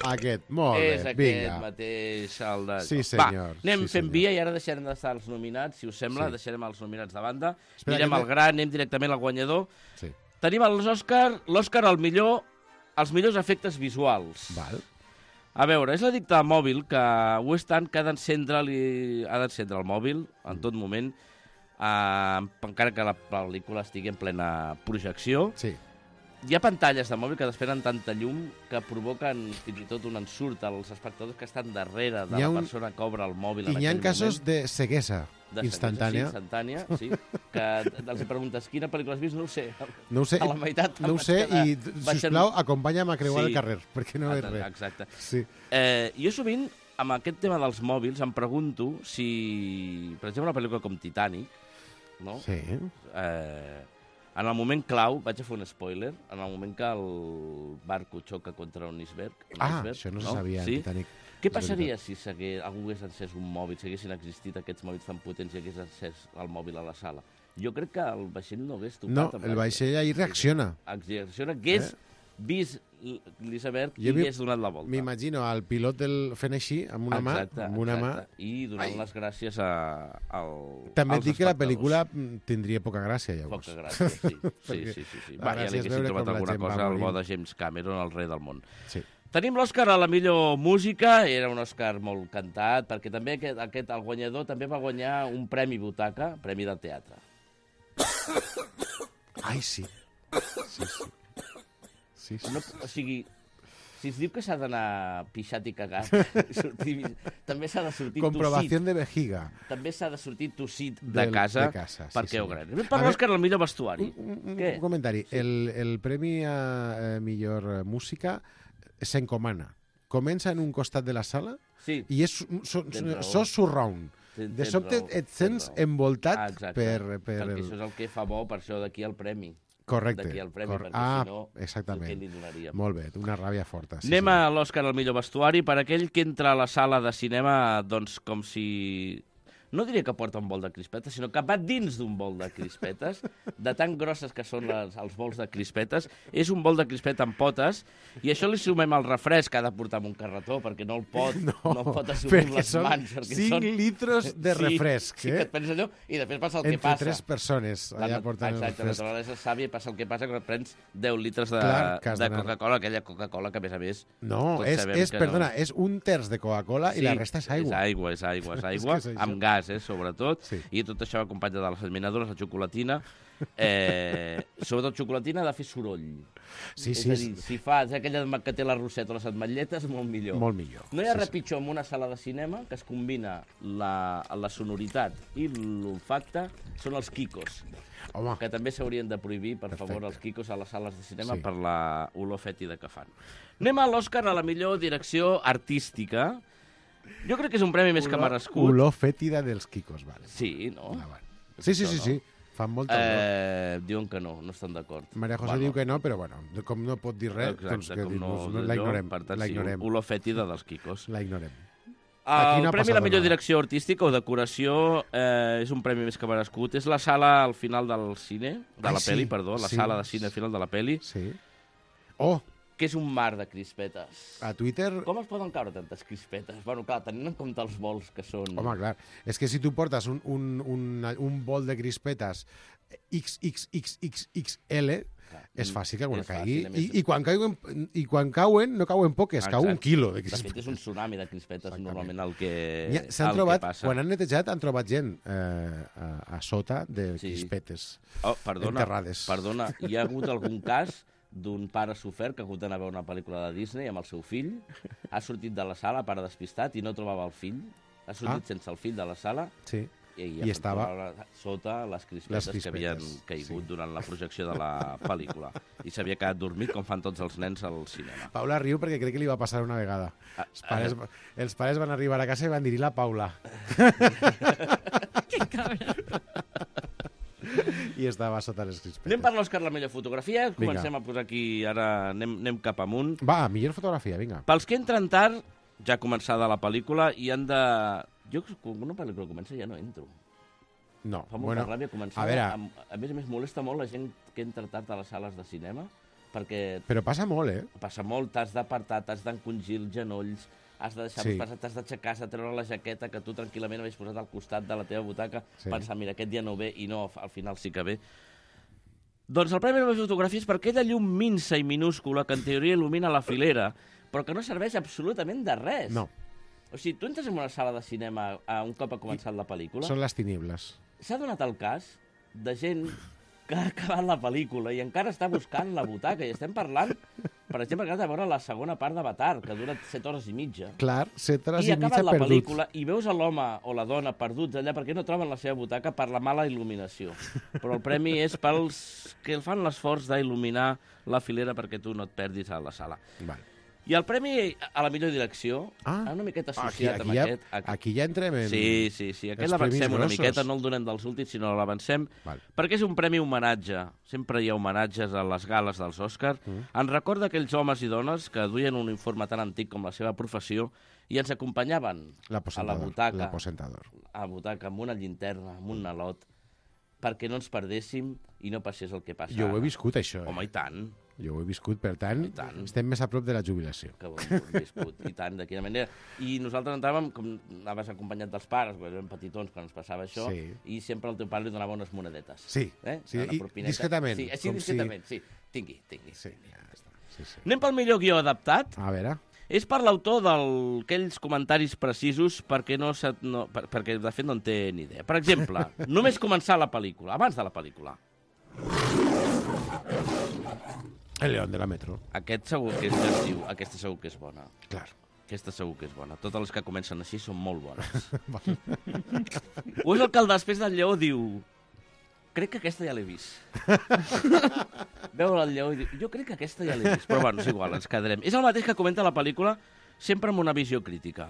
Aquest, molt bé, és aquest vinga. mateix, el de... Sí, senyor. Va, anem sí, fent senyor. via i ara deixarem d'estar els nominats, si us sembla, sí. deixarem els nominats de banda. Espera, Mirem que... el gran, anem directament al guanyador. Sí. Tenim els Òscar, l'Òscar al millor, els millors efectes visuals. Val. A veure, és l'addicte al mòbil que ho és tant que ha d'encendre ha d'encendre el mòbil en tot moment, eh, encara que la pel·lícula estigui en plena projecció. Sí. Hi ha pantalles de mòbil que despenen tanta llum que provoquen fins i tot un ensurt als espectadors que estan darrere de la un... persona que obre el mòbil en I hi ha casos moment. de ceguesa de instantània. Ceguesa, sí, instantània, sí. Que els preguntes quina pel·lícula has vist, no ho sé. No ho sé, a la meitat no ho sé i, sisplau, acompanya'm a creuar sí. el carrer, perquè no és res. Exacte. Sí. Eh, jo sovint, amb aquest tema dels mòbils, em pregunto si, per exemple, una pel·lícula com Titanic, no? Sí. Eh, en el moment clau, vaig a fer un spoiler, en el moment que el barco xoca contra un iceberg... Un ah, iceberg, això no se no? sabia, sí? Titanic. Què passaria si hagués, algú hagués encès un mòbil, si haguessin existit aquests mòbils tan potents i hagués encès el mòbil a la sala? Jo crec que el vaixell no hagués tocat... No, el vaixell ahir reacciona. Reacciona, hagués eh? vist l'iceberg i hagués donat la volta. M'imagino el pilot del fent així, amb una exacte, mà, amb una exacte. mà... I donant Ai. les gràcies a, al, També et dic que la pel·lícula espectadors. tindria poca gràcia, llavors. Poca gràcia, sí. sí, sí, sí, sí. Va, ja li haguessin trobat alguna cosa al bo de James Cameron, el rei del món. Sí. Tenim l'Òscar a la millor música, era un Òscar molt cantat, perquè també aquest, aquest, el guanyador també va guanyar un premi butaca, premi de teatre. Ai, sí. Sí, sí. Sí, sí. No, o sigui, si es diu que s'ha d'anar pixat i cagat, sortir, també s'ha de sortir Comprovació tossit. de vejiga. També s'ha de sortir tossit de Del, casa, de casa sí, perquè sí. ho gran. Per l'Òscar, el millor vestuari. Un, un, Què? un comentari. Sí. El, el premi a eh, millor música s'encomana. Comença en un costat de la sala sí. i és so, so, so surround. Ten, de sobte raó, et sents envoltat ah, per... per perquè el... això és el que fa bo, per això d'aquí el premi. Correcte. D'aquí el premi, Cor... perquè ah, si no, exactament. què li donaríem? Molt bé, una ràbia forta. Sí, Anem sí. a l'Òscar al millor vestuari per aquell que entra a la sala de cinema doncs com si... No diria que porta un bol de crispetes, sinó que va dins d'un bol de crispetes, de tan grosses que són les, els bols de crispetes. És un bol de crispeta amb potes, i això li sumem al refresc que ha de portar amb un carretó, perquè no el pot, no, no el pot assumir amb les mans. Perquè cinc són litres de refresc. Sí, sí, eh? que et penses allò, i després passa el Entre que passa. Entre tres persones allà la, portant exacte, el refresc. la naturalesa és sàvia i passa el que passa quan prens deu litres de, Clar, de Coca-Cola, aquella Coca-Cola que, a més a més... No, és, és perdona, no. és un terç de Coca-Cola sí, i la resta és aigua. És aigua, és aigua, és aigua, és amb gas, eh, sobretot. Sí. I tot això acompanya de les eliminadores, la xocolatina. Eh, sobretot xocolatina ha de fer soroll. Sí, és sí. a dir, si fa aquella que té la roseta o les ametlletes, molt millor. Molt millor. No hi ha sí, res sí. pitjor en una sala de cinema que es combina la, la sonoritat i l'olfacte, són els quicos. Home. Que també s'haurien de prohibir, per Perfecte. favor, els quicos a les sales de cinema sí. per la olor fètida que fan. Anem a l'Òscar a la millor direcció artística. Jo crec que és un premi més olor, que merescut. Olor fètida dels quicos, vale. Sí, no? Ah, vale. Sí, sí, sí, sí. Fan molta olor. Eh, diuen que no, no estan d'acord. Maria José bueno. diu que no, però bueno, com no pot dir res, exacte, doncs que com dir, no, no, la ignorem. Per tant, la ignorem. sí, olor fètida dels quicos. La ignorem. El no premi a la millor nada. direcció artística o decoració eh, és un premi més que merescut. És la sala al final del cine, de Ai, la sí, peli, perdó, la sí. sala de cine al final de la peli. Sí. Oh! Que és un mar de crispetes. A Twitter... Com es poden caure tantes crispetes? Bueno, clar, tenint en compte els vols que són... Home, clar, és que si tu portes un, un, un, un bol de crispetes X X X X X L, És fàcil que alguna És caigui. fàcil, a I, més- i, quan cauen, I quan cauen, no cauen poques, cau un Exacte. quilo de De fet, crispetes. és un tsunami de crispetes, normalment, el que, N'hi ha- S'han el trobat, que passa. quan han netejat, han trobat gent eh, a, a sota de Sí. crispetes Oh, perdona, enterrades. perdona, hi ha hagut algun cas d'un pare sofert que ha hagut d'anar a veure una pel·lícula de Disney amb el seu fill, ha sortit de la sala, pare despistat, i no trobava el fill, ha sortit Ah. sense el fill de la sala, Sí. i, I estava sota les crispetes, les que crispetes, havien caigut sí. durant la projecció de la pel·lícula. I s'havia quedat dormit, com fan tots els nens al cinema. Paula riu perquè crec que li va passar una vegada. Ah, Els pares, els pares van arribar a casa i van dir la Paula. Que cabra. I estava sota les crispetes. Anem per l'Òscar la millor fotografia, Vinga. comencem a posar aquí, ara anem, anem cap amunt. Va, millor fotografia, vinga. Pels que entren tard, ja ha començada la pel·lícula i han de... Jo, quan una pel·lícula comença, ja no entro. No, Fa molta bueno, ràbia començar. a veure... A, a més a més, molesta molt la gent que entra tard a les sales de cinema, perquè Però passa molt, eh? passa molt, t'has d'apartar, t'has d'encongir els genolls, has de deixar Sí. passar, t'has d'aixecar, has de treure la jaqueta que tu tranquil·lament havies posat al costat de la teva butaca, Sí. pensar, mira, aquest dia no ve, i no, al final sí que ve. Doncs el Premi de la Fotografia és per aquella llum minsa i minúscula que en teoria il·lumina la filera, però que no serveix absolutament de res. No. O sigui, tu entres en una sala de cinema a un cop ha començat la pel·lícula, Són les tinibles. s'ha donat el cas de gent que ha acabat la pel·lícula i encara està buscant la butaca. I estem parlant, per exemple, que has de veure la segona part d'Avatar, que dura set hores i mitja. Clar, set hores I i, ha acabat mitja la perdut. pel·lícula i veus a l'home o la dona perduts allà perquè no troben la seva butaca per la mala il·luminació. Però el premi és pels que el fan l'esforç d'il·luminar la filera perquè tu no et perdis a la sala. Vale. I el premi a la millor direcció, Ah. una miqueta Aquí, associat aquí, amb ja, aquest... Aquí, aquí ja entrem en... Sí, sí, sí. Aquest els premis l'avancem una grossos. miqueta, no el donem dels últims, sinó l'avancem, Val. perquè és un premi homenatge. Sempre hi ha homenatges a les gales dels Òscars. Mm. Ens recorda aquells homes i dones que duien un uniforme tan antic com la seva professió i ens acompanyaven a la L'aposentador. butaca, L'aposentador. a la butaca amb una llinterna, amb un nalot, perquè no ens perdéssim i no passés el que passa Jo ho he ara. viscut, això. Home, Eh? i tant. Jo ho he viscut, per tant, tant. estem més a prop de la jubilació. Que ho hem viscut, i tant, de quina manera. I nosaltres entràvem, com anaves acompanyat dels pares, perquè érem petitons quan ens passava això, Sí. i sempre el teu pare li donava unes monedetes. Sí, eh? sí, Una i propineta. discretament, Sí, així com discretament, sí. Tingui, tingui. Sí, ja està. Sí, sí. Anem pel millor guió adaptat. A veure... És per l'autor d'aquells comentaris precisos perquè, no, se, no, per, perquè de fet no en té ni idea. Per exemple, només començar la pel·lícula, abans de la pel·lícula. El León de la Metro. Aquest segur que és es diu, aquesta segur que és bona. Clar. Aquesta segur que és bona. Totes les que comencen així són molt bones. O és el que el després del lleó diu... Crec que aquesta ja l'he vist. Veu el lleó i diu... Jo crec que aquesta ja l'he vist. Però bueno, és igual, ens quedarem. És el mateix que comenta la pel·lícula, sempre amb una visió crítica.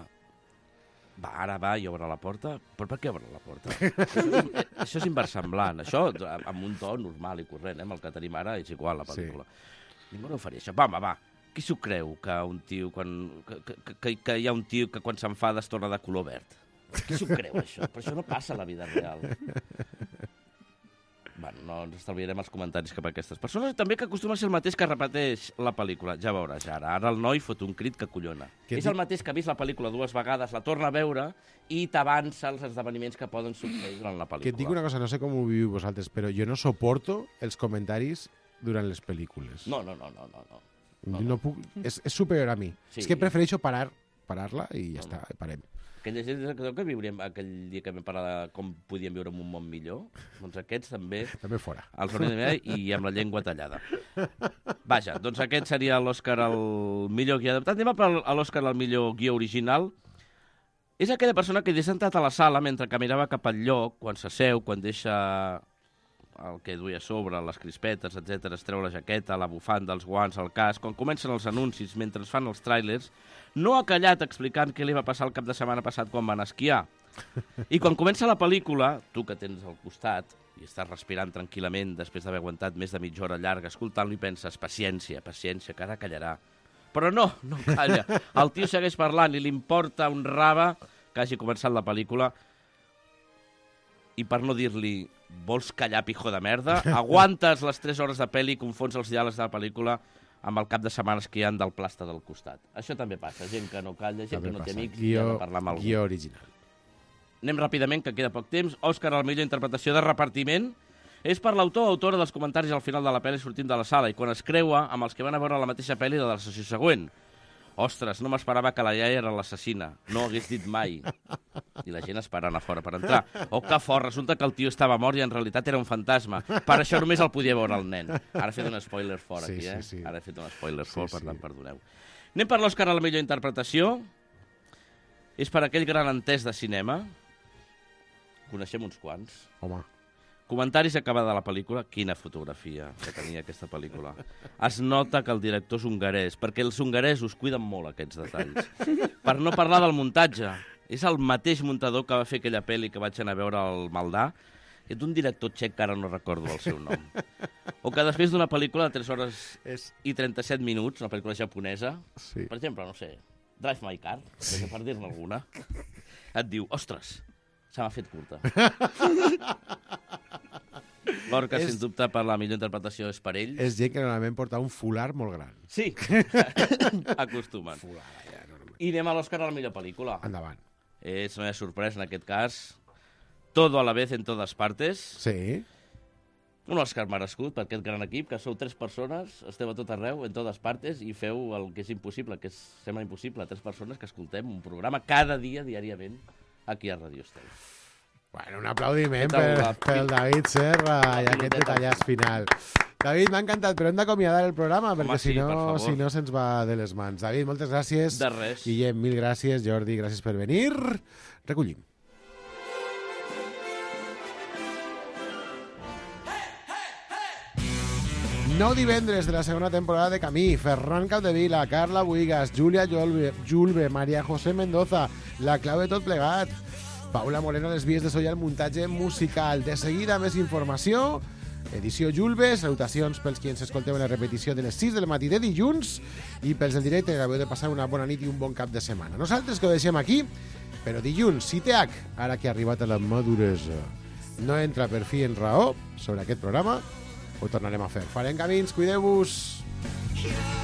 Va, ara va i obre la porta. Però per què obre la porta? Això és, això és inversemblant. Això, amb un to normal i corrent, eh? Amb el que tenim ara, és igual, la pel·lícula. Sí. Ningú no ho faria, això. Va, va, va. Qui s'ho creu, que un tio, quan, que, que, que, que hi ha un tio que quan s'enfada es torna de color verd? Qui s'ho creu, això? Però això no passa a la vida real. Bueno, no ens estalviarem els comentaris cap a aquestes persones. També que acostuma a ser el mateix que repeteix la pel·lícula. Ja veuràs, ara. Ara el noi fot un crit que collona. Que és el mateix que ha vist la pel·lícula dues vegades, la torna a veure i t'avança els esdeveniments que poden succeir durant la pel·lícula. Que et dic una cosa, no sé com ho viviu vosaltres, però jo no soporto els comentaris durant les pel·lícules. No, no, no, no, no. no. No, no puc... És, és superior a mi. Sí. És que prefereixo parar, parar-la i ja no, està, no. parem. Aquella gent que, que viuríem aquell dia que vam parlar de com podíem viure en un món millor, doncs aquests també... També fora. Els hauríem de mirar i amb la llengua tallada. Vaja, doncs aquest seria l'Òscar al millor guió adaptat. Anem a l'Òscar al millor guió original. És aquella persona que ha sentat a la sala mentre que mirava cap al lloc, quan s'asseu, quan deixa el que duia a sobre, les crispetes, etcètera, es treu la jaqueta, la bufanda, els guants, el casc, quan comencen els anuncis, mentre es fan els tràilers, no ha callat explicant què li va passar el cap de setmana passat quan van esquiar. I quan comença la pel·lícula, tu que tens al costat i estàs respirant tranquil·lament després d'haver aguantat més de mitja hora llarga escoltant-lo i penses, paciència, paciència, que ara callarà. Però no, no calla. El tio segueix parlant i li importa un rave que hagi començat la pel·lícula i per no dir-li vols callar, pijo de merda, aguantes les tres hores de pel·li i confons els diàlegs de la pel·lícula amb el cap de setmanes que hi ha del plasta del costat. Això també passa, gent que no calla, gent també que no té passa. amics Guió, i ha de parlar amb algú. Guió original. Anem ràpidament, que queda poc temps. Òscar a la millor interpretació de repartiment. És per l'autor o autora dels comentaris al final de la pel·li sortint de la sala i quan es creua amb els que van a veure la mateixa pel·li de la sessió següent. Ostres, no m'esperava que la iaia era l'assassina. No ho hagués dit mai. I la gent esperant a fora per entrar. Oh, que fort, resulta que el tio estava mort i en realitat era un fantasma. Per això només el podia veure el nen. Ara he fet un spoiler fort aquí, eh? Sí, sí. Ara he fet un spoiler fort, sí, per tant, sí. Perdoneu. Anem per l'Òscar a la millor interpretació. És per aquell gran entès de cinema. Coneixem uns quants. Home. Comentaris acabada de la pel·lícula. Quina fotografia que tenia aquesta pel·lícula. Es nota que el director és hongarès, perquè els hongaresos cuiden molt aquests detalls. Per no parlar del muntatge. És el mateix muntador que va fer aquella pel·li que vaig anar a veure al Maldà, que és un director txec que ara no recordo el seu nom. O que després d'una pel·lícula de tres hores i trenta-set minuts, una pel·lícula japonesa, sí. Per exemple, no sé, Drive My Car, sí. Per dir-ne alguna, et diu, ostres, se m'ha fet curta. L'Orca, és... sens dubte, per la millor interpretació és per ell. És gent que normalment porta un fular molt gran. Sí, acostumen. Fular, ja, no, no. I anem a l'Òscar a la millor pel·lícula. Endavant. És, no hi ha sorpresa en aquest cas, Todo a la vez en todas partes. Sí. Un Òscar merescut per aquest gran equip, que sou tres persones, esteu a tot arreu, en totes partes, i feu el que és impossible, que és, sembla impossible, tres persones que escoltem un programa cada dia, diàriament, aquí a Radio Estel. Bueno, un aplaudiment per, per el David Serra i aquest detallàs final. David, m'ha encantat, però hem d'acomiadar el programa, perquè Home, sí, si no si no se'ns va de les mans. David, moltes gràcies. De res. Guillem, mil gràcies. Jordi, gràcies per venir. Recollim. Nou divendres de la segona temporada de Camí. Ferran Capdevila, Carla Buigas, Júlia Julbe, Julbe, Maria José Mendoza, la clau de tot plegat. Paula Moreno a les vies de so i el muntatge musical. De seguida, més informació. Edició Julbe. Salutacions pels qui ens escolteu en la repetició de les sis del matí de dilluns i pels del directe que acabeu de passar una bona nit i un bon cap de setmana. Nosaltres que ho deixem aquí, però dilluns, si té H, ara que ha arribat a la maduresa, no entra per fi en raó sobre aquest programa, ho tornarem a fer. Farem camins, cuideu-vos. Yeah.